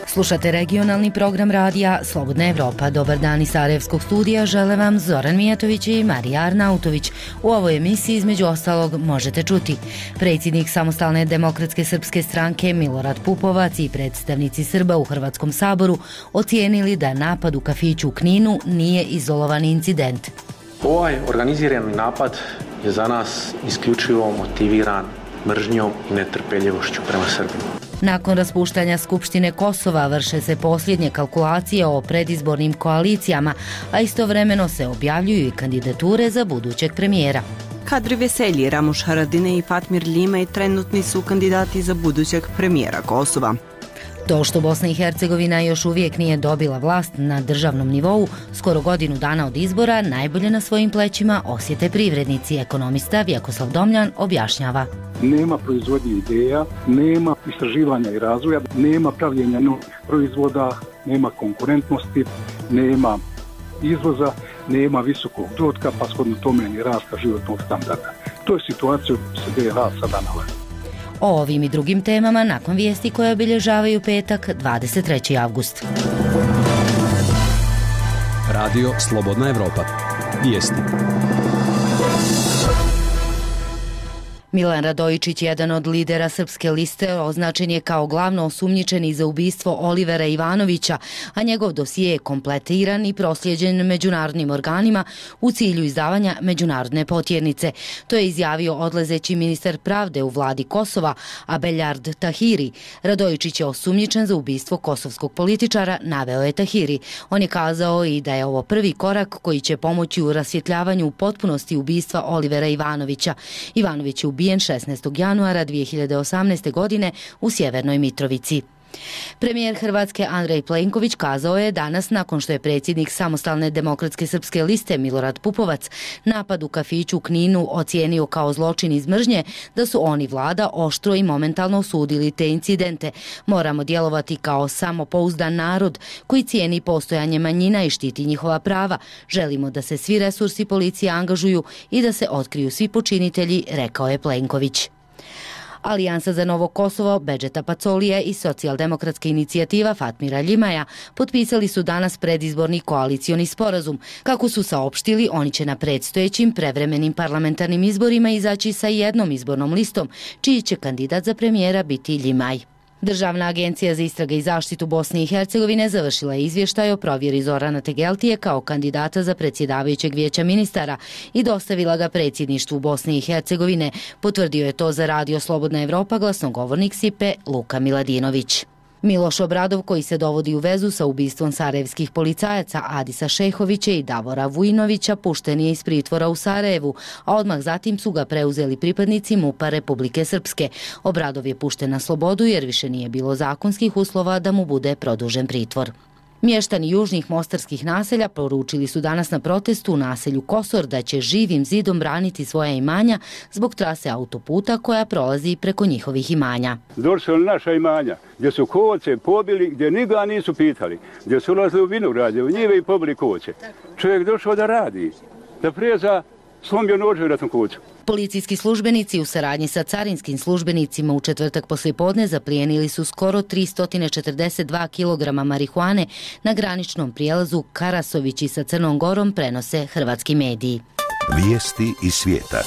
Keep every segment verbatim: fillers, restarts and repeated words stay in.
Slušate regionalni program radija Slobodna Evropa. Dobar dan iz Sarajevskog studija žele vam Zoran Mijatović i Marija Arnautović. U ovoj emisiji između ostalog možete čuti: predsjednik Samostalne demokratske srpske stranke Milorad Pupovac i predstavnici Srba u Hrvatskom saboru ocijenili da napad u kafiću u Kninu nije izolovani incident. Ovaj organizirani napad je za nas isključivo motiviran mržnjom i netrpeljivošću prema Srbima. Nakon raspuštanja Skupštine Kosova vrše se posljednje kalkulacije o predizbornim koalicijama, a istovremeno se objavljuju i kandidature za budućeg premijera. Kadri Veselji, Ramuš Haradine i Fatmir Ljimaj trenutni su kandidati za budućeg premijera Kosova. To što Bosna i Hercegovina još uvijek nije dobila vlast na državnom nivou, skoro godinu dana od izbora, najbolje na svojim plećima osjete privrednici. Ekonomista Vjekoslav Domljan objašnjava. Nema proizvodnje ideja, nema istraživanja i razvoja, nema pravljenja novih proizvoda, nema konkurentnosti, nema izvoza, nema visokog dohotka, pa shodno tome i rasta životnog standarda. To je situacija u B i H sada nalazi. O ovim i drugim temama nakon vijesti koje obilježavaju petak, dvadeset treći avgust. Radio Slobodna Evropa. Vijesti. Milan Radojičić, jedan od lidera Srpske liste, označen je kao glavno osumnjičeni za ubistvo Olivera Ivanovića, a njegov dosije je kompletiran i prosljeđen međunarodnim organima u cilju izdavanja međunarodne potjernice. To je izjavio odlazeći ministar pravde u vladi Kosova, Abelard Tahiri. Radojičić je osumnjičen za ubistvo kosovskog političara, naveo je Tahiri. On je kazao i da je ovo prvi korak koji će pomoći u rasvjetljavanju u potpunosti ubistva Olivera Ivanovića. Ivanović je ubijen šesnaestog januara dvije hiljade osamnaeste. godine u Sjevernoj Mitrovici. Premijer Hrvatske Andrej Plenković kazao je danas, nakon što je predsjednik Samostalne demokratske srpske liste Milorad Pupovac napad u kafiću u Kninu ocijenio kao zločin iz mržnje, da su oni vlada oštro i momentalno osudili te incidente. Moramo djelovati kao samopouzdan narod koji cijeni postojanje manjina i štiti njihova prava. Želimo da se svi resursi policije angažuju i da se otkriju svi počinitelji, rekao je Plenković. Alijansa za Novo Kosovo, Bedžeta Pacolija i socijaldemokratska inicijativa Fatmira Ljimaja potpisali su danas predizborni koalicioni sporazum. Kako su saopštili, oni će na predstojećim prevremenim parlamentarnim izborima izaći sa jednom izbornom listom, čiji će kandidat za premijera biti Ljimaj. Državna agencija za istrage i zaštitu Bosne i Hercegovine završila je izvještaj o provjeri Zorana Tegeltije kao kandidata za predsjedavajućeg vijeća ministara i dostavila ga predsjedništvu Bosne i Hercegovine. Potvrdio je to za Radio Slobodna Evropa glasnogovornik S I P E Luka Miladinović. Miloš Obradov, koji se dovodi u vezu sa ubistvom sarajevskih policajaca Adisa Šehovića i Davora Vujinovića, pušten je iz pritvora u Sarajevu, a odmah zatim su ga preuzeli pripadnici MUP-a Republike Srpske. Obradov je pušten na slobodu jer više nije bilo zakonskih uslova da mu bude produžen pritvor. Mještani južnih mostarskih naselja poručili su danas na protestu u naselju Kosor da će živim zidom braniti svoja imanja zbog trase autoputa koja prolazi preko njihovih imanja. Došli na naša imanja gdje su koce pobili, gdje niga nisu pitali, gdje su ulazili u vinogradje, u njive i pobili koce. Čovjek došao da radi, da preza slomio nožu na tom kocu. Policijski službenici u saradnji sa carinskim službenicima u četvrtak poslijepodne zaplijenili su skoro tristo četrdeset dva kilograma marihuane na graničnom prijelazu Karasovići sa Crnom Gorom, prenose hrvatski mediji. Vijesti iz svijeta.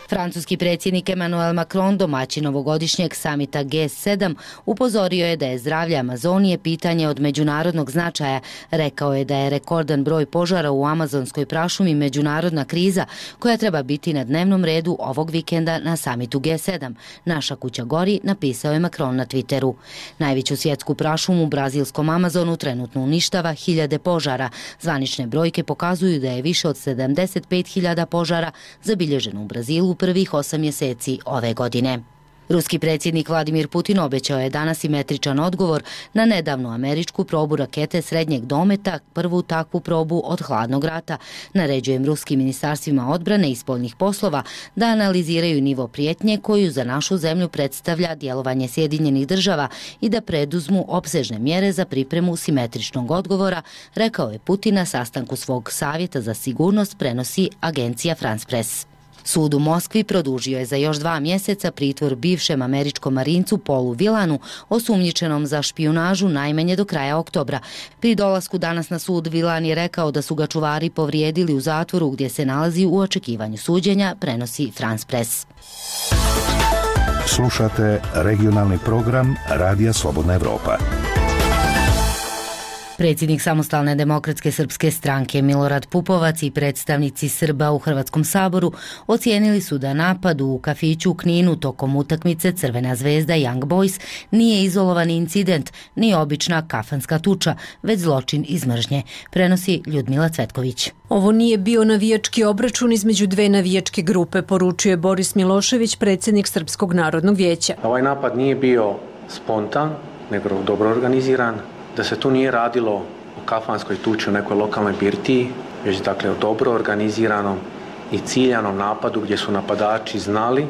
Francuski predsjednik Emmanuel Macron, domaćin ovogodišnjeg samita G sedam, upozorio je da je zdravlje Amazonije pitanje od međunarodnog značaja. Rekao je da je rekordan broj požara u amazonskoj prašumi međunarodna kriza koja treba biti na dnevnom redu ovog vikenda na samitu G sedam. Naša kuća gori, napisao je Macron na Twitteru. Najveću svjetsku prašumu u brazilskom Amazonu trenutno uništava hiljade požara. Zvanične brojke pokazuju da je više od sedamdeset pet hiljada požara zabilježeno u Brazilu prvih osam mjeseci ove godine. Ruski predsjednik Vladimir Putin obećao je danas simetričan odgovor na nedavnu američku probu rakete srednjeg dometa, prvu takvu probu od hladnog rata. Naređujem ruskim ministarstvima odbrane i spoljnih poslova da analiziraju nivo prijetnje koju za našu zemlju predstavlja djelovanje Sjedinjenih država i da preduzmu opsežne mjere za pripremu simetričnog odgovora, rekao je Putin na sastanku svog savjeta za sigurnost, prenosi agencija France Press. Sud u Moskvi produžio je za još dva mjeseca pritvor bivšem američkom marincu Paulu Villanu, osumnjičenom za špijunažu najmanje do kraja oktobra. Pri dolasku danas na sud Villan je rekao da su ga čuvari povrijedili u zatvoru gdje se nalazi u očekivanju suđenja, prenosi France Press. Slušate regionalni program Radija Slobodna Evropa. Predsjednik Samostalne demokratske srpske stranke Milorad Pupovac i predstavnici Srba u Hrvatskom saboru ocijenili su da napad u kafiću u Kninu tokom utakmice Crvena zvezda Young Boys nije izolovan incident ni obična kafanska tuča, već zločin iz mržnje, prenosi Ljudmila Cvetković. Ovo nije bio navijački obračun između dve navijačke grupe, poručuje Boris Milošević, predsjednik Srpskog narodnog vijeća. Ovaj napad nije bio spontan, nego dobro organiziran, da se tu nije radilo o kafanskoj tuči u nekoj lokalnoj birtiji, već dakle o dobro organiziranom i ciljanom napadu gdje su napadači znali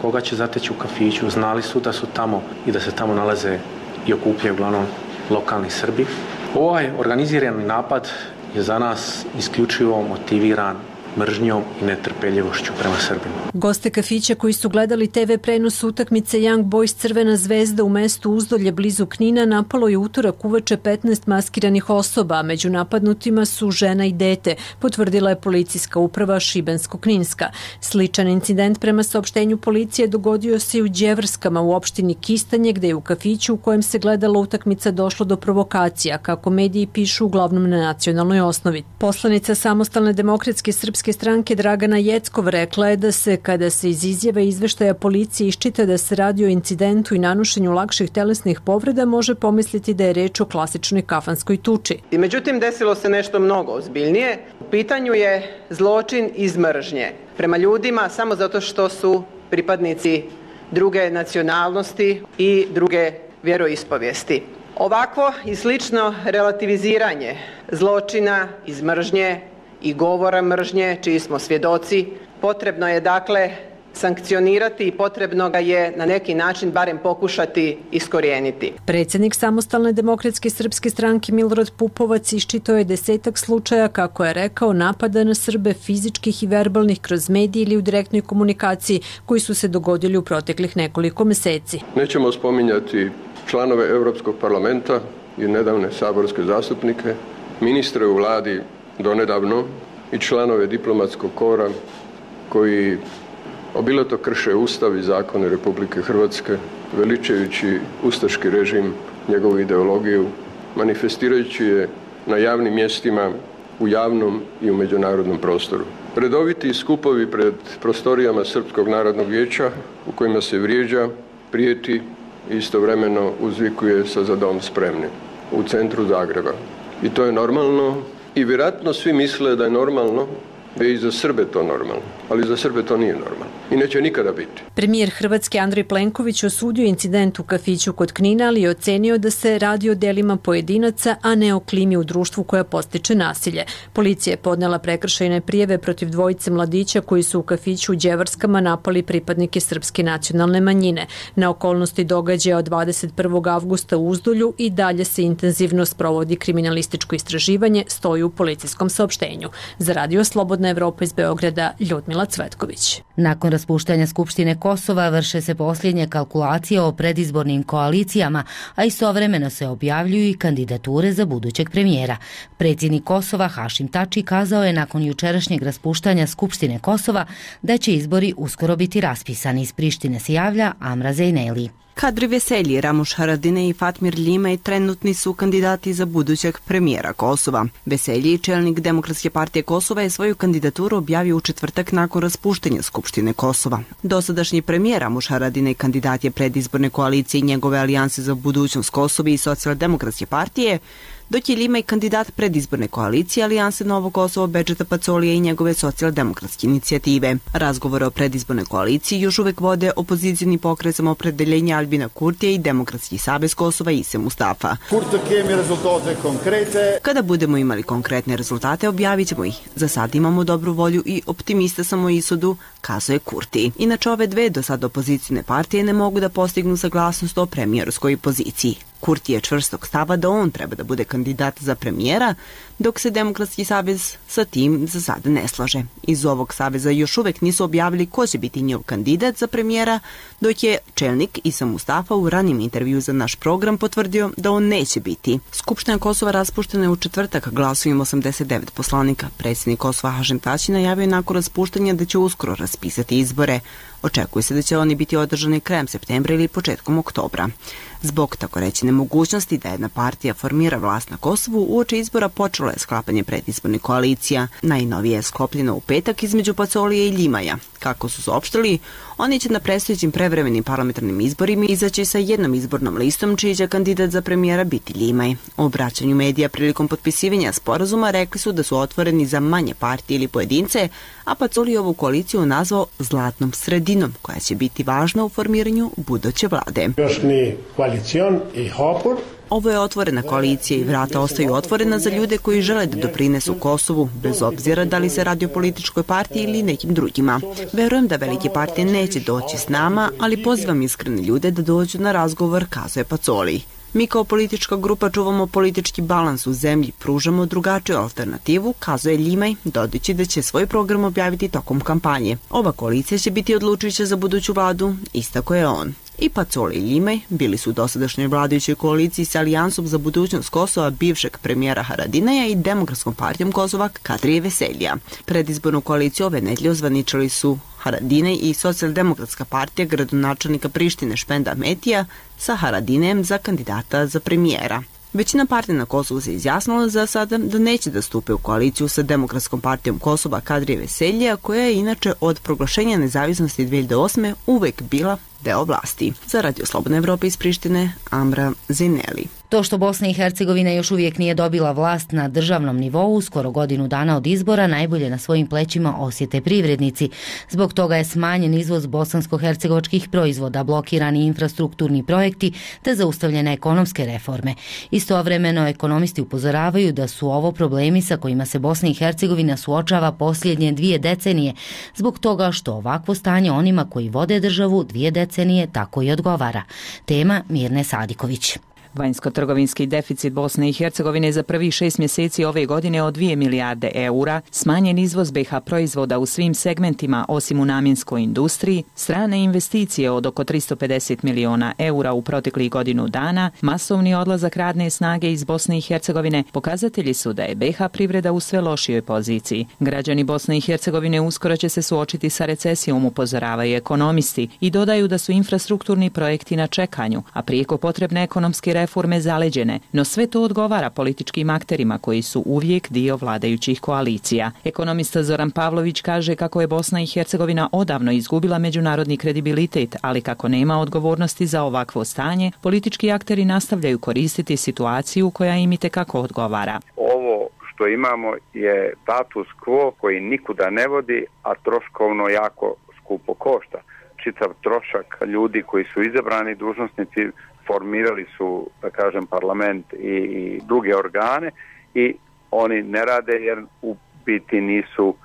koga će zateći u kafiću, znali su da su tamo i da se tamo nalaze i okupljaju uglavnom lokalni Srbi. Ovaj organizirani napad je za nas isključivo motiviran mržnjom i netrpeljivošću prema Srbima. Goste kafića koji su gledali te ve prenos utakmice Young Boys Crvena zvezda u mestu Uzdolje blizu Knina napalo je utorak uveče petnaest maskiranih osoba, a među napadnutima su žena i dete, potvrdila je policijska uprava Šibensko-Kninska. Sličan incident prema saopštenju policije dogodio se i u Đevrskama u opštini Kistanje, gde je u kafiću u kojem se gledala utakmica došlo do provokacija, kako mediji pišu uglavnom na nacionalnoj osnovi. Poslanica Samostalne demokratske srpske stranke Dragana Jeckov rekla je da se, kada se iz izjave izveštaja policije iščita da se radi o incidentu i nanušenju lakših telesnih povreda, može pomisliti da je reč o klasičnoj kafanskoj tuči. I međutim, desilo se nešto mnogo ozbiljnije. U pitanju je zločin iz mržnje prema ljudima samo zato što su pripadnici druge nacionalnosti i druge vjeroispovijesti. Ovakvo i slično relativiziranje zločina iz mržnje i govora mržnje, čiji smo svjedoci, potrebno je dakle sankcionirati i potrebno ga je na neki način barem pokušati iskorijeniti. Predsjednik Samostalne demokratske srpske stranke Milorad Pupovac iščitao je desetak slučaja, kako je rekao, napada na Srbe fizičkih i verbalnih kroz medije ili u direktnoj komunikaciji koji su se dogodili u proteklih nekoliko mjeseci. Nećemo spominjati članove Europskog parlamenta i nedavne saborske zastupnike, ministre u vladi donedavno i članove diplomatskog kora koji obilato krše Ustav i zakone Republike Hrvatske, veličajući ustaški režim, njegovu ideologiju, manifestirajući je na javnim mjestima, u javnom i u međunarodnom prostoru. Redoviti skupovi pred prostorijama Srpskog narodnog vijeća u kojima se vrijeđa, prijeti i istovremeno uzvikuje sa "Za dom spremni" u centru Zagreba. I to je normalno. I vjerojatno svi misle da je normalno, da je i za Srbe to normalno, ali za Srbe to nije normalno i neće nikada biti. Premijer Hrvatske Andrej Plenković osudio incident u kafiću kod Knina, ali je ocenio da se radi o delima pojedinaca, a ne o klimi u društvu koja postiče nasilje. Policija je podnela prekršajne prijave protiv dvojice mladića koji su u kafiću u Đevrskama napali pripadnike srpske nacionalne manjine. Na okolnosti događaja od dvadeset prvog avgusta u Uzdolju i dalje se intenzivno sprovodi kriminalističko istraživanje, stoji u policijskom saopštenju. Za Radio Slobodna Evropa iz Beograda, Ljudmila Cvetković. Nakon raspuštanja Skupštine Kosova vrše se posljednje kalkulacije o predizbornim koalicijama, a istovremeno se objavljuju i kandidature za budućeg premijera. Predsjednik Kosova Hašim Tači kazao je nakon jučerašnjeg raspuštanja Skupštine Kosova da će izbori uskoro biti raspisani. Iz Prištine se javlja Amra Zejneli. Kadri Veselji, Ramuš Haradinaj i Fatmir Limaj trenutni su kandidati za budućeg premijera Kosova. Veselji, čelnik Demokratske partije Kosova, je svoju kandidaturu objavio u četvrtak nakon raspuštenja Skupštine Kosova. Dosadašnji premijer Ramuš Haradinaj kandidat je predizborne koalicije i njegove alijanse za budućnost Kosova i Socijaldemokratske partije, dok je Limaj kandidat predizborne koalicije Alijanse Novo Kosovo Bedžeta Pacolija i njegove socijaldemokratske inicijative. Razgovore o predizbornoj koaliciji još uvek vode opozicijni pokret Samoopredeljenja Albina Kurtija i Demokratski savez Kosova Ise Mustafa. Kada budemo imali konkretne rezultate, objavit ćemo ih. Za sad imamo dobru volju i optimista sam o ishodu, kazuje Kurti. Inače, ove dve do sad opozicijne partije ne mogu da postignu saglasnost o premijerskoj poziciji. Kurti je čvrstog stava da on treba da bude kandidat za premijera, dok se Demokratski savez sa tim za sada ne slaže. Iz ovog saveza još uvek nisu objavili ko će biti njihov kandidat za premijera, dok je čelnik Isa Mustafa u ranim intervju za naš program potvrdio da on neće biti. Skupština Kosova raspuštena je u četvrtak glasovima osamdeset devet poslanika. Predsjednik Kosova Hašem Tači najavio nakon raspuštanja da će uskoro raspisati izbore. Očekuje se da će oni biti održani krajem septembra ili početkom oktobra. Zbog tako reći nemogućnosti da jedna partija formira vlast na Kosovu, uoči izbora počelo je sklapanje predizbornih koalicija. Najnovije je sklopljeno u petak između Pacolije i Limaja. Kako su saopštili, oni će na predstojećim prevremenim parlamentarnim izborima izaći sa jednom izbornom listom čiji će kandidat za premijera biti Limaj. U obraćanju medija prilikom potpisivanja sporazuma rekli su da su otvoreni za manje partije ili pojedince, a Pacolije ovu koaliciju nazvao zlatnom sredinom koja će biti važna u formiranju buduće vlade. Ovo je otvorena koalicija i vrata ostaju otvorena za ljude koji žele da doprinesu Kosovu, bez obzira da li se radi o političkoj partiji ili nekim drugima. Verujem da velike partije neće doći s nama, ali pozivam iskrene ljude da dođu na razgovor, kazuje Pacoli. Mi kao politička grupa čuvamo politički balans u zemlji, pružamo drugačiju alternativu, kazuje Limaj, dodajući da će svoj program objaviti tokom kampanje. Ova koalicija će biti odlučujuća za buduću vladu, istako je on. I Pacoli i Limaj bili su u dosadašnjoj vladajućoj koaliciji sa Alijansom za budućnost Kosova bivšeg premijera Haradinaja i Demokratskom partijom Kosova Kadrije Veseljija. Predizbornu koaliciju ove nedelje ozvaničili su Haradinaj i Socijaldemokratska partija gradonačelnika Prištine Špenda Metija sa Haradinejem za kandidata za premijera. Većina partija na Kosovu se izjasnila za sada da neće da stupe u koaliciju sa Demokratskom partijom Kosova Kadrije Veseljija, koja je inače od proglašenja nezavisnosti dve hiljade osme uvek bila deo vlasti. Za Radio Slobodna Evropa iz Prištine, Amra Zineli. To što Bosna i Hercegovina još uvijek nije dobila vlast na državnom nivou, skoro godinu dana od izbora, najbolje na svojim plećima osjete privrednici. Zbog toga je smanjen izvoz bosansko-hercegovačkih proizvoda, blokirani infrastrukturni projekti te zaustavljene ekonomske reforme. Istovremeno, ekonomisti upozoravaju da su ovo problemi sa kojima se Bosna i Hercegovina suočava posljednje dvije decenije, zbog toga što ovakvo stanje onima koji vode državu dvije decenije tako i odgovara. Tema Mirne Sadiković. Vanjsko-trgovinski deficit Bosne i Hercegovine za prvih šest mjeseci ove godine od dvije milijarde eura, smanjen izvoz be ha proizvoda u svim segmentima osim u namjenskoj industriji, strane investicije od oko tristo pedeset miliona eura u proteklih godinu dana, masovni odlazak radne snage iz Bosne i Hercegovine pokazatelji su da je be ha privreda u sve lošijoj poziciji. Građani Bosne i Hercegovine uskoro će se suočiti sa recesijom, upozoravaju ekonomisti i dodaju da su infrastrukturni projekti na čekanju, a prijeko potrebne ekonomske reforme zaleđene, no sve to odgovara političkim akterima koji su uvijek dio vladajućih koalicija. Ekonomista Zoran Pavlović kaže kako je Bosna i Hercegovina odavno izgubila međunarodni kredibilitet, ali kako nema odgovornosti za ovakvo stanje, politički akteri nastavljaju koristiti situaciju koja im itekako odgovara. Ovo što imamo je status quo koji nikuda ne vodi, a troškovno jako skupo košta. Čitav trošak ljudi koji su izabrani dužnosnici formirali su, da kažem, parlament i, i druge organe i oni ne rade jer u biti nisu uh,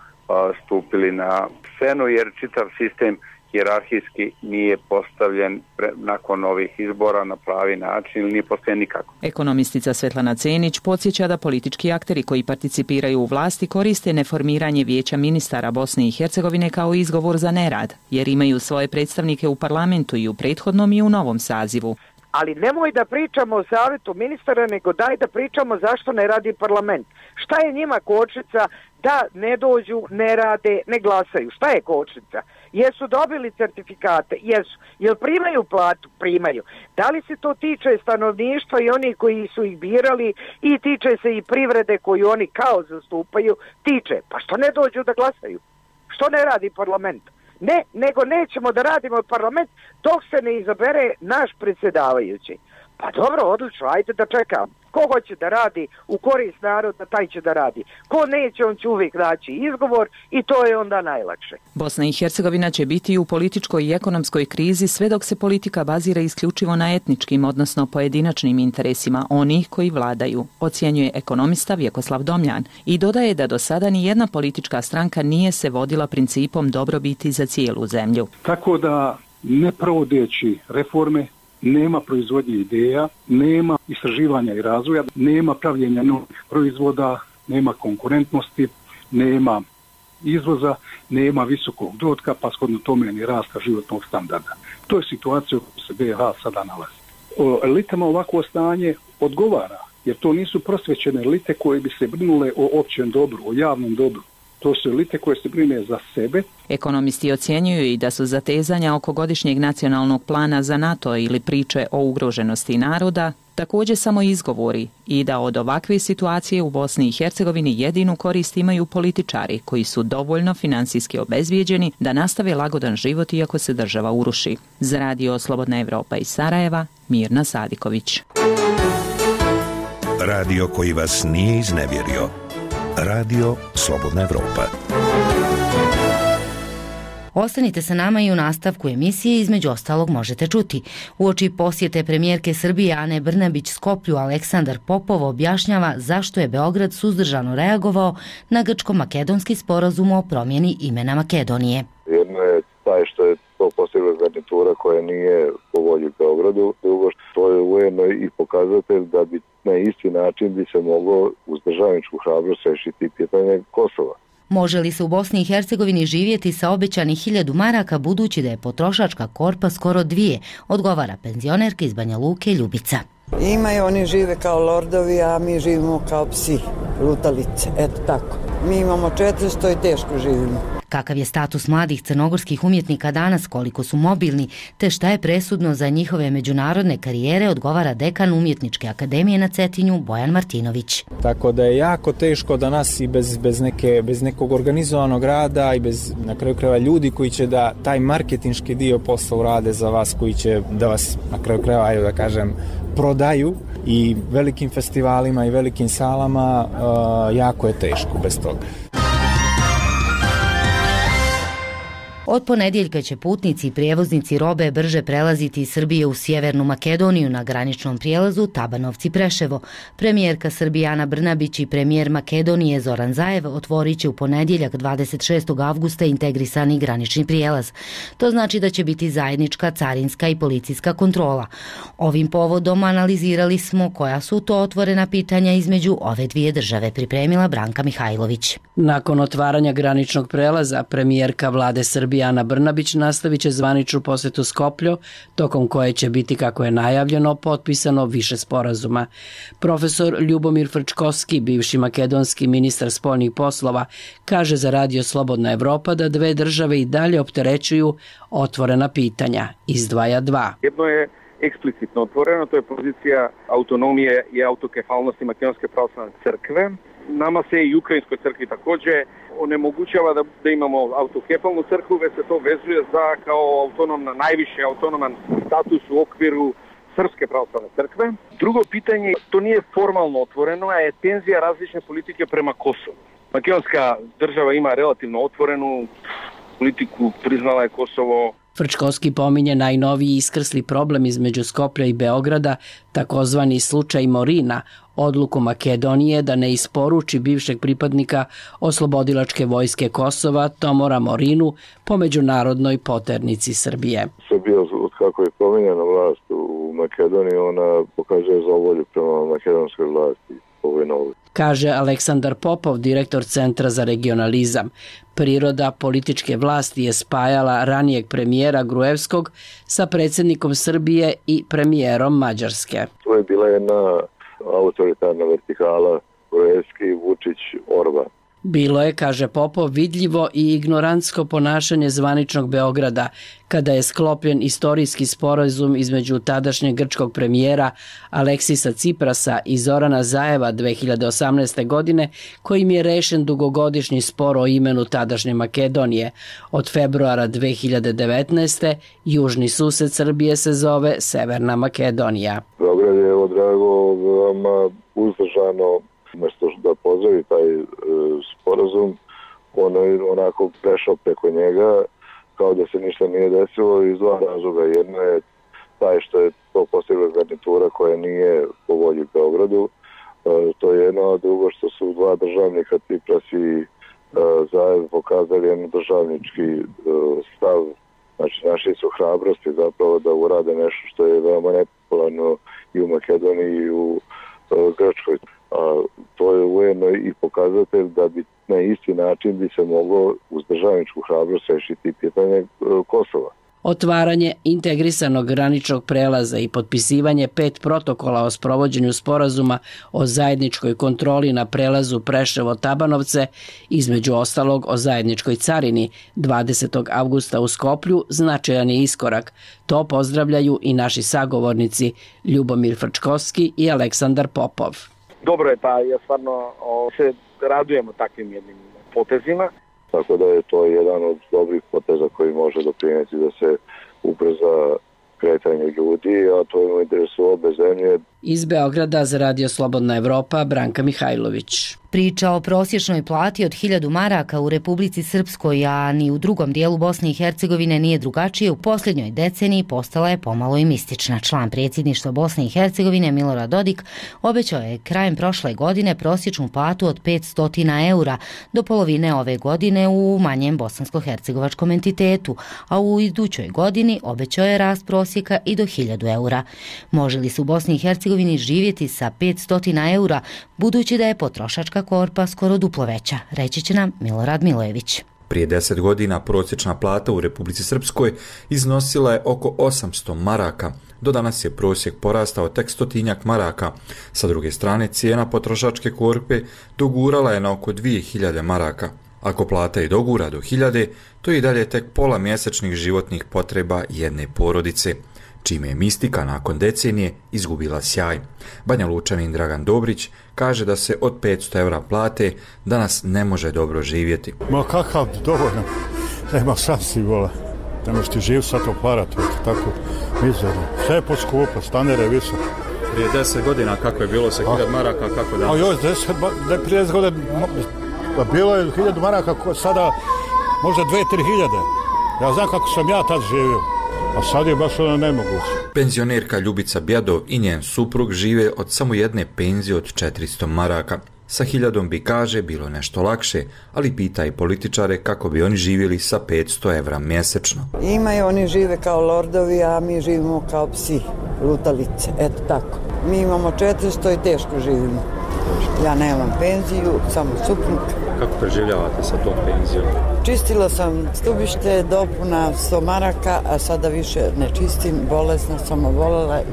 stupili na scenu jer čitav sistem hijerarhijski nije postavljen pre, nakon ovih izbora na pravi način ili nije postavljen nikako. Ekonomistica Svetlana Cenić podsjeća da politički akteri koji participiraju u vlasti koriste neformiranje vijeća ministara Bosne i Hercegovine kao izgovor za nerad, jer imaju svoje predstavnike u parlamentu i u prethodnom i u novom sazivu. Ali nemoj da pričamo o savjetu ministara, nego daj da pričamo zašto ne radi parlament. Šta je njima kočnica da ne dođu, ne rade, ne glasaju? Šta je kočnica? Jesu dobili certifikate? Jesu. Jel primaju platu? Primaju. Da li se to tiče stanovništva i oni koji su ih birali i tiče se i privrede koju oni kao zastupaju? Tiče. Pa što ne dođu da glasaju? Što ne radi parlament? Ne, nego nećemo da radimo parlament dok se ne izabere naš predsjedavajući. Pa dobro, odlično, ajde da čekam. Ko hoće da radi u korist naroda, taj će da radi. Ko neće, on će uvijek naći izgovor i to je onda najlakše. Bosna i Hercegovina će biti u političkoj i ekonomskoj krizi sve dok se politika bazira isključivo na etničkim, odnosno pojedinačnim interesima onih koji vladaju, ocjenjuje ekonomista Vjekoslav Domljan i dodaje da do sada ni jedna politička stranka nije se vodila principom dobrobiti za cijelu zemlju. Tako da ne provodeći reforme, nema proizvodnje ideja, nema istraživanja i razvoja, nema pravljenja novih proizvoda, nema konkurentnosti, nema izvoza, nema visokog dohotka, pa shodno tome ni rasta životnog standarda. To je situacija u kojoj se B i H sada nalazi. O elitama ovako stanje odgovara, jer to nisu prosvećene elite koje bi se brinule o općem dobru, o javnom dobru. To su elite koje se brine za sebe. Ekonomisti ocjenjuju i da su zatezanja oko godišnjeg nacionalnog plana za NATO ili priče o ugroženosti naroda također samo izgovori i da od ovakve situacije u Bosni i Hercegovini jedinu korist imaju političari koji su dovoljno financijski obezbijeđeni da nastave lagodan život iako se država uruši. Za radio Slobodna Evropa iz Sarajeva, Mirna Sadiković. Radio koji vas nije iznevjerio. Radio Slobodna Evropa. Ostanite sa nama i u nastavku emisije, između ostalog možete čuti. Uoči posjete premijerke Srbije Ane Brnabić Skoplju, Aleksandar Popov objašnjava zašto je Beograd suzdržano reagovao na grčko-makedonski sporazum o promjeni imena Makedonije. Jedno je taj što je to postigla garnitura koja nije po volji Beogradu, drugo što je ujedno i pokazatelj da bi na isti način bi se moglo uz državničku hrabrost rešiti pitanje Kosova. Može li se u Bosni i Hercegovini živjeti sa obećanih hiljadu maraka budući da je potrošačka korpa skoro dvije, odgovara penzionerka iz Banja Luke Ljubica. Imaju, oni žive kao lordovi, a mi živimo kao psi, lutalice, eto tako. Mi imamo četiristo i teško živimo. Kakav je status mladih crnogorskih umjetnika danas, koliko su mobilni, te šta je presudno za njihove međunarodne karijere, odgovara dekan Umjetničke akademije na Cetinju Bojan Martinović. Tako da je jako teško da nas i bez, bez, neke, bez nekog organizovanog rada i bez na kraju krajeva ljudi koji će da taj marketinški dio posla urade za vas, koji će da vas na kraju krajeva, ajde da kažem, prodaju i velikim festivalima i velikim salama, uh, jako je teško bez toga. Od ponedjeljka će putnici i prijevoznici robe brže prelaziti iz Srbije u Sjevernu Makedoniju na graničnom prijelazu Tabanovci-Preševo. Premijerka Srbije Ana Brnabić i premijer Makedonije Zoran Zaev otvorit će u ponedjeljak dvadeset šestog avgusta integrisani granični prijelaz. To znači da će biti zajednička carinska i policijska kontrola. Ovim povodom analizirali smo koja su to otvorena pitanja između ove dvije države, pripremila Branka Mihajlović. Nakon otvaranja graničnog prelaza, premijerka vlade Srbije Ana Brnabić nastavit će zvaničnu posjetu Skoplju, tokom koje će biti, kako je najavljeno, potpisano više sporazuma. Profesor Ljubomir Frčkovski, bivši makedonski ministar spoljnih poslova, kaže za radio Slobodna Evropa da dve države i dalje opterećuju otvorena pitanja. Izdvaja dva. Jedno je eksplicitno otvoreno, to je pozicija autonomije i autokefalnosti Makedonske pravoslavne crkve. Nama se i Ukrajinskoj crkvi također onemogućava da, da imamo autokefalnu crkvu, već se to vezuje za kao autonomna, najviše autonoman status u okviru Srpske pravoslavne crkve. Drugo pitanje, to nije formalno otvoreno, a je tenzija različne politike prema Kosovu. Makedonska država ima relativno otvorenu politiku, priznala je Kosovo. Frčkovski pominje najnoviji iskrsli problem između Skoplja i Beograda, takozvani slučaj Morina, odluku Makedonije da ne isporuči bivšeg pripadnika oslobodilačke vojske Kosova Tomora Morinu po međunarodnoj poternici Srbije. Srbija, od kako je promijenjena vlast u Makedoniji, ona pokazuje zavolju prema makedonskoj vlasti. Kaže Aleksandar Popov, direktor Centra za regionalizam. Priroda političke vlasti je spajala ranijeg premijera Gruevskog sa predsjednikom Srbije i premijerom Mađarske. To je bila jedna autoritarna vertikala Gruevski, Vučić, Orban. Bilo je, kaže Popov, vidljivo i ignorantsko ponašanje zvaničnog Beograda kada je sklopljen istorijski sporazum između tadašnjeg grčkog premijera Aleksisa Ciprasa i Zorana Zajeva dve hiljade osamnaeste. godine, kojim je rešen dugogodišnji spor o imenu tadašnje Makedonije. Od februara dve hiljade devetnaeste. južni sused Srbije se zove Severna Makedonija. Beograd je odreagovao veoma uzdržano, umjesto da pozdravi taj e, sporazum, on je onako prešao preko njega kao da se ništa nije desilo iz dva razloga. Jedno je taj što je to postigla garnitura koja nije po volji Beogradu, e, to je jedno, a drugo što su dva državnika Cipras i e, Zajev pokazali jedan državnički e, stav, znači našli su hrabrosti zapravo da urade nešto što je veoma nepopularno i u Makedoniji i u e, Grčkoj. A to je ujedno i pokazatelj da bi na isti način bi se moglo uz državničku hrabrost rešiti pitanje Kosova. Otvaranje integrisanog graničnog prelaza i potpisivanje pet protokola o sprovođenju sporazuma o zajedničkoj kontroli na prelazu Preševo-Tabanovce, između ostalog o zajedničkoj carini dvadesetog avgusta u Skoplju, značajan je iskorak. To pozdravljaju i naši sagovornici Ljubomir Frčkovski i Aleksandar Popov. Dobro je, pa ja stvarno o, se radujemo takvim jednim potezima. Tako da je to jedan od dobrih poteza koji može doprinijeti da se ubrza kretanje ljudi, a to je u interesu obe zemlje. Iz Beograda za Radio Slobodna Evropa, Branka Mihajlović. Priča o prosječnoj plati od hiljadu maraka u Republici Srpskoj, a ni u drugom dijelu Bosne i Hercegovine nije drugačije, u posljednjoj deceniji postala je pomalo i mistična. Član predsjedništva Bosne i Hercegovine Milorad Dodik obećao je krajem prošle godine prosječnu platu od petsto eura do polovine ove godine u manjem bosansko-hercegovačkom entitetu, a u idućoj godini obećao je rast prosjeka i do hiljadu eura. Može li se u Bosni i Hercegovini živjeti sa petsto eura, budući da je potrošačka korpa skoro duplo veća, reći će nam Milorad Milojević. Prije deset godina prosječna plata u Republici Srpskoj iznosila je oko osamsto maraka. Do danas je prosjek porastao tek stotinjak maraka. Sa druge strane, cijena potrošačke korpe dogurala je na oko dvije hiljade maraka. Ako plata i dogura do hiljade, to je i dalje tek pola mjesečnih životnih potreba jedne porodice, čime je mistika nakon decenije izgubila sjaj. Banja Lučanin Dragan Dobrić kaže da se od petsto eura plate danas ne može dobro živjeti. Ma kakav dovoljno, nema šansi vola, ne možeš ti živ sa to para, to je tako mizerno. Sve je poskupo, standard je visok. Prije deset godina kako je bilo sa hiljad maraka, kako danas? A još deset, ne prije deset godina, bilo je hiljadu maraka, sada možda dve, tri hiljade. Ja znam kako sam ja tad živio. A sad je baš ono nemoguće. Penzionerka Ljubica Bjadov i njen suprug žive od samo jedne penzije od četiristo maraka. Sa hiljadom bi, kaže, bilo nešto lakše, ali pita i političare kako bi oni živjeli sa petsto evra mjesečno. Imaju, oni žive kao lordovi, a mi živimo kao psi, lutalice, eto tako. Mi imamo četiristo i teško živimo. Ja nemam penziju, samo suprug. Kako preživljavate sa tom penzijom? Čistila sam stubište, dopuna sto maraka, a sada više ne čistim, bolesna sam obolela i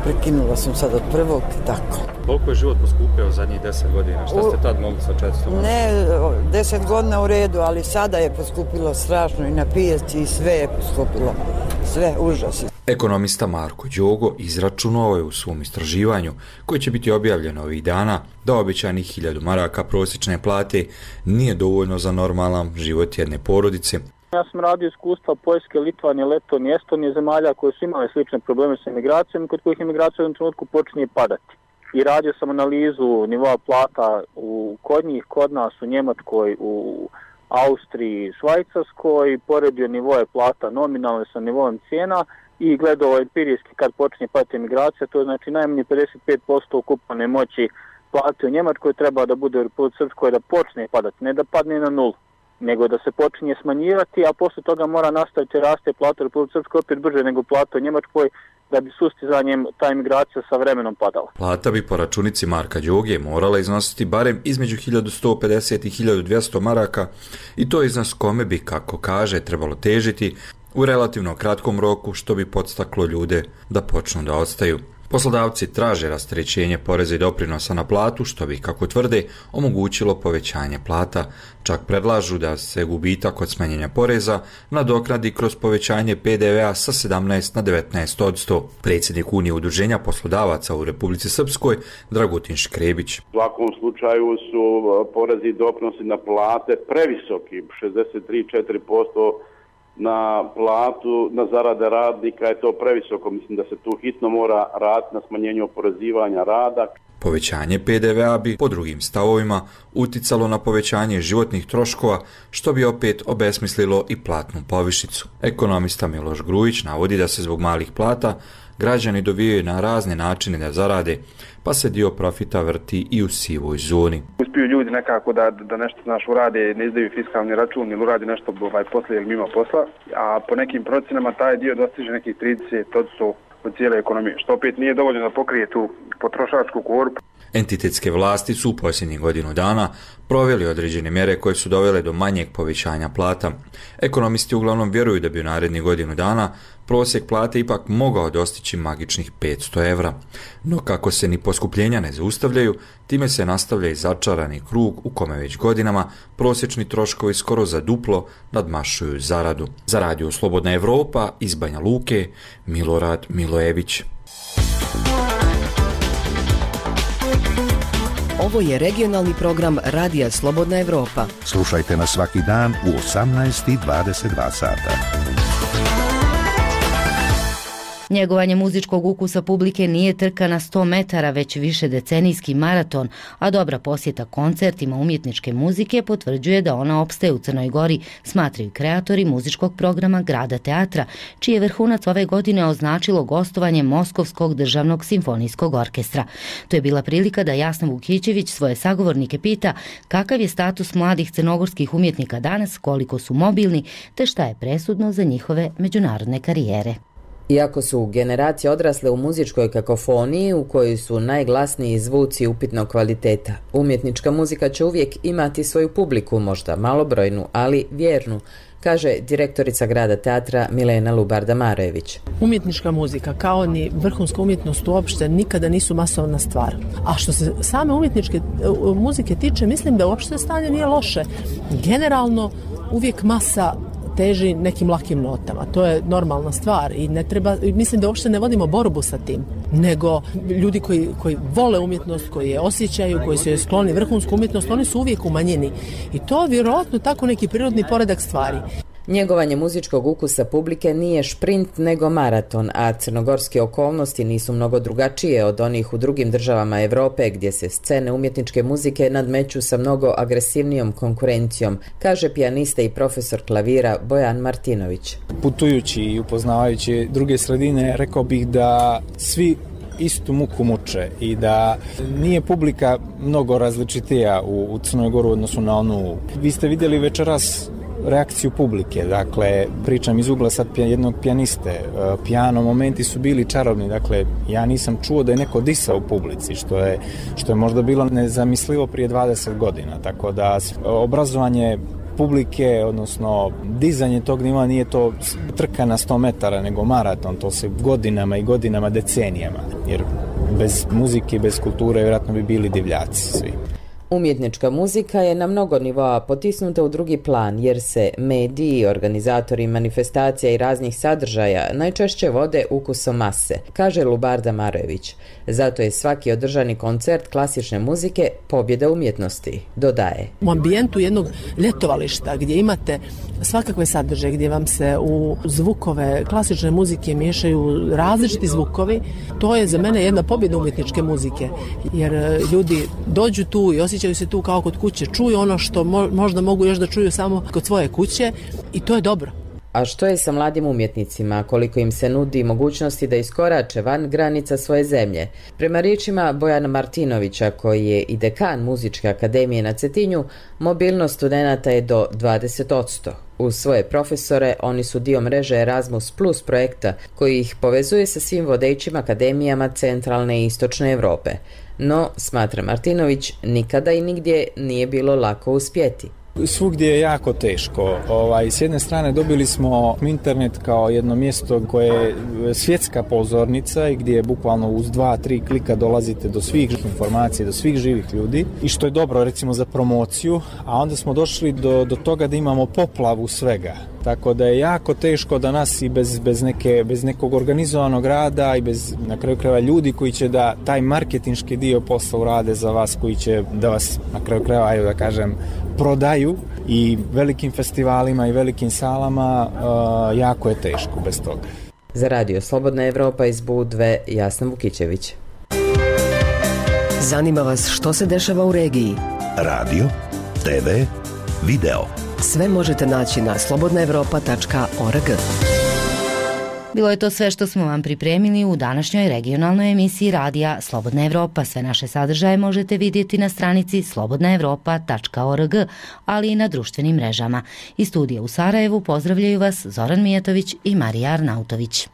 prekinula sam sad od prvog i tako. Koliko je život poskupio zadnjih deset godina? Šta ste tad mogli sa četiristo maraka? Ne, deset godina u redu, ali sada je poskupilo strašno i na pijaci i sve je poskupilo. Sve, užas. Ekonomista Marko Đogo izračunao je u svom istraživanju, koje će biti objavljeno ovih dana, da obećanih hiljadu maraka prosječne plate nije dovoljno za normalan život jedne porodice. Ja sam radio iskustva Poljske, Litvanije, Letonije, Estonije, zemalja koje su imale slične probleme sa imigracijom, kod kojih imigracija u jednom trenutku počinje padati. I radio sam analizu nivoa plata u kod njih, kod nas, u Njemačkoj, u Austriji, Švajcarskoj, poredio nivoje plata nominalne sa nivojem cijena i gledao empirijski kad počinje padati imigracija, to je znači najmanje pedeset pet posto ukupne moći plate u Njemačkoj treba da bude u Republici Srpskoj da počne padati, ne da padne na nulu, nego da se počinje smanjivati, a posle toga mora nastaviti raste plata u Republici Srpskoj opet brže nego plata u Njemačkoj, da bi sustizanjem ta imigracija sa vremenom padala. Plata bi po računici Marka Đoge morala iznositi barem između hiljadu sto pedeset i hiljadu dvjesto maraka i to iznos kome bi, kako kaže, trebalo težiti u relativno kratkom roku, što bi podstaklo ljude da počnu da ostaju. Poslodavci traže rasterećenje poreza i doprinosa na platu, što bi, kako tvrde, omogućilo povećanje plata. Čak predlažu da se gubitak od smanjenja poreza nadoknadi kroz povećanje P D V A sa sedamnaest na devetnaest posto. Predsjednik Unije udruženja poslodavaca u Republici Srpskoj, Dragutin Škrebić. U svakom slučaju su porezi i doprinosi na plate previsoki, šezdeset tri zarez četiri posto na platu, na zarade radnika je to previsoko. Mislim da se tu hitno mora raditi na smanjenju oporezivanja rada. Povećanje P D V A bi, po drugim stavovima, uticalo na povećanje životnih troškova, što bi opet obesmislilo i platnu povišicu. Ekonomista Miloš Grujić navodi da se zbog malih plata građani dovijaju na razne načine da zarade, pa se dio profita vrti i u sivoj zoni. Uspiju ljudi nekako da, da nešto znaš urade, ne izdaju fiskalni račun ili uradi nešto ovaj, posle ili mimo posla, a po nekim procenama taj dio dostiže nekih trideset posto od cijele ekonomije, što opet nije dovoljno da pokrije tu potrošačku korpu. Entitetske vlasti su u posljednjih godinu dana proveli određene mjere koje su dovele do manjeg povećanja plata. Ekonomisti uglavnom vjeruju da bi u narednih godinu dana prosjek plate ipak mogao dostići magičnih petsto evra. No kako se ni poskupljenja ne zaustavljaju, time se nastavlja i začarani krug u kome već godinama prosječni troškovi skoro za duplo nadmašuju zaradu. Za Radio Slobodna Evropa iz Banja Luke, Milorad Milojević. Ovo je regionalni program Radija Slobodna Evropa. Slušajte nas svaki dan u osamnaest i dvadeset dva sata. Njegovanje muzičkog ukusa publike nije trka na sto metara, već više decenijski maraton, a dobra posjeta koncertima umjetničke muzike potvrđuje da ona opstaje u Crnoj Gori, smatraju kreatori muzičkog programa Grada teatra, čiji je vrhunac ove godine označilo gostovanje Moskovskog državnog simfonijskog orkestra. To je bila prilika da Jasna Vukićević svoje sagovornike pita kakav je status mladih crnogorskih umjetnika danas, koliko su mobilni, te šta je presudno za njihove međunarodne karijere. Iako su generacije odrasle u muzičkoj kakofoniji u kojoj su najglasniji zvuci upitnog kvaliteta, umjetnička muzika će uvijek imati svoju publiku, možda malobrojnu, ali vjernu, kaže direktorica Grada teatra Milena Lubarda-Marojević. Umjetnička muzika, kao ni vrhunska umjetnost uopšte, nikada nisu masovna stvar. A što se same umjetničke muzike tiče, mislim da uopšte stanje nije loše. Generalno, uvijek masa teži nekim lakim notama. To je normalna stvar i ne treba, mislim da uopšte ne vodimo borbu sa tim, nego ljudi koji, koji vole umjetnost, koji je osjećaju, koji su je skloni vrhunsku umjetnost, oni su uvijek u manjini. I to vjerojatno tako neki prirodni poredak stvari. Njegovanje muzičkog ukusa publike nije šprint nego maraton, a crnogorske okolnosti nisu mnogo drugačije od onih u drugim državama Evrope gdje se scene umjetničke muzike nadmeću sa mnogo agresivnijom konkurencijom, kaže pijanista i profesor klavira Bojan Martinović. Putujući i upoznavajući druge sredine, rekao bih da svi istu muku muče i da nije publika mnogo različitija u, u Crnoj Goru odnosno na onu. Vi ste vidjeli večeras reakciju publike, dakle pričam iz ugla sad jednog pijaniste, pijano momenti su bili čarobni, dakle ja nisam čuo da je neko disao u publici, što je, što je možda bilo nezamislivo prije dvadeset godina, tako da obrazovanje publike, odnosno dizanje tog nivoa nije to trka na sto metara, nego maraton, to se godinama i godinama, decenijama, jer bez muzike i bez kulture vjerojatno bi bili divljaci svi. Umjetnička muzika je na mnogo nivoa potisnuta u drugi plan jer se mediji, organizatori manifestacija i raznih sadržaja najčešće vode ukusom mase, kaže Lubarda Marojević. Zato je svaki održani koncert klasične muzike pobjeda umjetnosti, dodaje. U ambijentu jednog ljetovališta gdje imate svakakve sadržaje, gdje vam se u zvukove klasične muzike miješaju različiti zvukovi, to je za mene jedna pobjeda umjetničke muzike, jer ljudi dođu tu i osjećaju se tu kao kod kuće, čuju ono što mo- možda mogu još da čuju samo kod svoje kuće i to je dobro. A što je sa mladim umjetnicima, koliko im se nudi mogućnosti da iskorače van granica svoje zemlje? Prema riječima Bojana Martinovića, koji je i dekan Muzičke akademije na Cetinju, mobilnost studenata je do dvadeset posto. Uz svoje profesore, oni su dio mreže Erasmus Plus projekta, koji ih povezuje sa svim vodećim akademijama centralne i istočne Evrope. No, smatra Martinović, nikada i nigdje nije bilo lako uspjeti. Svugdje je jako teško. Ovaj, s jedne strane dobili smo internet kao jedno mjesto koje je svjetska pozornica i gdje je bukvalno uz dva, tri klika dolazite do svih informacija, do svih živih ljudi i što je dobro recimo za promociju, a onda smo došli do, do toga da imamo poplavu svega. Tako da je jako teško da nas i bez, bez, neke, bez nekog organizovanog rada i bez na kraju krajeva ljudi koji će da taj marketinški dio posla urade za vas, koji će da vas na kraju krajeva, ajde da kažem, prodaju i velikim festivalima i velikim salama, uh, jako je teško bez toga. Za Radio Slobodna Evropa iz Budve, Jasna Vukićević. Zanima vas što se dešava u regiji? Radio, te ve, video. Sve možete naći na slobodna evropa tačka org. Bilo je to sve što smo vam pripremili u današnjoj regionalnoj emisiji radija Slobodna Evropa. Sve naše sadržaje možete vidjeti na stranici slobodna evropa tačka org, ali i na društvenim mrežama. Iz studija u Sarajevu pozdravljaju vas Zoran Mijatović i Marija Arnautović.